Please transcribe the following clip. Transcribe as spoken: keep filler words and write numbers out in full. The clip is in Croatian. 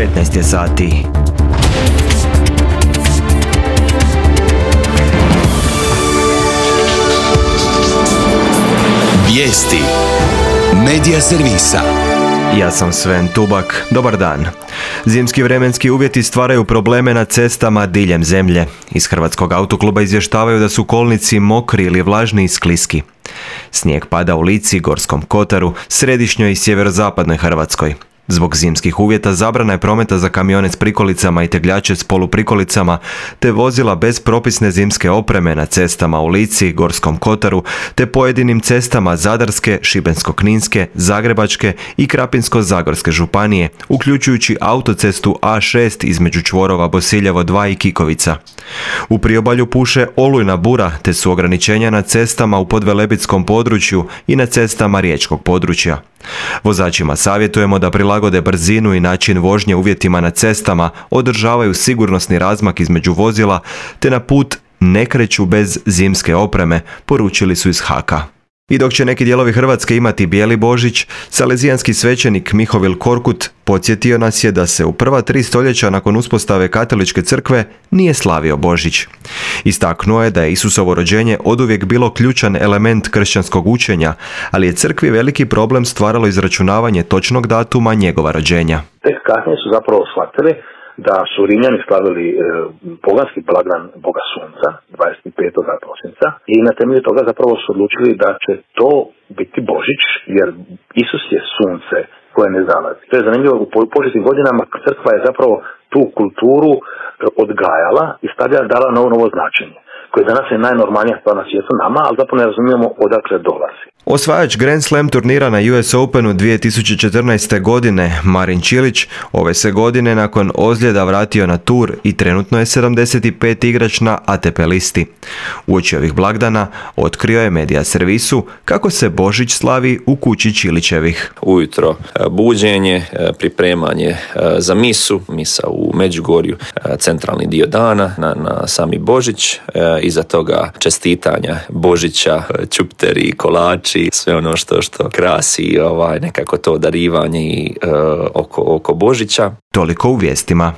devetnaest je sati. Vijesti Medija servisa. Ja sam Sven Tubak. Dobar dan. Zimski vremenski uvjeti stvaraju probleme na cestama diljem zemlje. Iz Hrvatskog autokluba izvještavaju da su kolnici mokri ili vlažni i skliski. Snijeg pada u Lici, Gorskom kotaru, središnjoj i sjeverozapadnoj Hrvatskoj. Zbog zimskih uvjeta zabrana je prometa za kamione s prikolicama i tegljače s poluprikolicama, te vozila bez propisne zimske opreme na cestama u Lici, Gorskom kotaru, te pojedinim cestama Zadarske, Šibensko-kninske, Zagrebačke i Krapinsko-zagorske županije, uključujući autocestu A šest između čvorova Bosiljevo dva i Kikovica. U priobalju puše olujna bura, te su ograničenja na cestama u podvelebitskom području i na cestama riječkog područja. Vozačima savjetujemo da prilagode brzinu i način vožnje uvjetima na cestama, održavaju sigurnosni razmak između vozila, te na put ne kreću bez zimske opreme, poručili su iz Haka. I dok će neki dijelovi Hrvatske imati bijeli Božić, salezijanski svećenik Mihovil Korkut podsjetio nas je da se u prva tri stoljeća nakon uspostave katoličke crkve nije slavio Božić. Istaknuo je da je Isusovo rođenje oduvijek bilo ključan element kršćanskog učenja, ali je crkvi veliki problem stvaralo izračunavanje točnog datuma njegova rođenja. Tek kasnije su zapravo shvatili da su Rimljani slavili e, poganski blagdan Boga Sunca, dvadeset petog prosinca, i na temelju toga zapravo su odlučili da će to biti Božić, jer Isus je sunce koje ne zalazi. To je zanimljivo, u početnim godinama crkva je zapravo tu kulturu odgajala i stavljala, dala novo novo značenje, koje danas je najnormalnija stvar na svijetu nama, ali zapravo ne razumijemo odakle dolazi. Osvajač Grand Slam turnira na U S Openu dvije tisuće četrnaeste. godine, Marin Čilić, ove se godine nakon ozljeda vratio na tur i trenutno je sedamdeset peti igrač na A T P listi. Uoči ovih blagdana otkrio je Medija servisu kako se Božić slavi u kući Čilićevih. Ujutro buđenje, pripremanje za misu, misa u Međugorju, centralni dio dana na, na sami Božić, iza toga čestitanja Božića, čupteri, kolači, sve ono što što krasi ovaj nekako to darivanje i, uh, oko, oko Božića. Toliko u vijestima.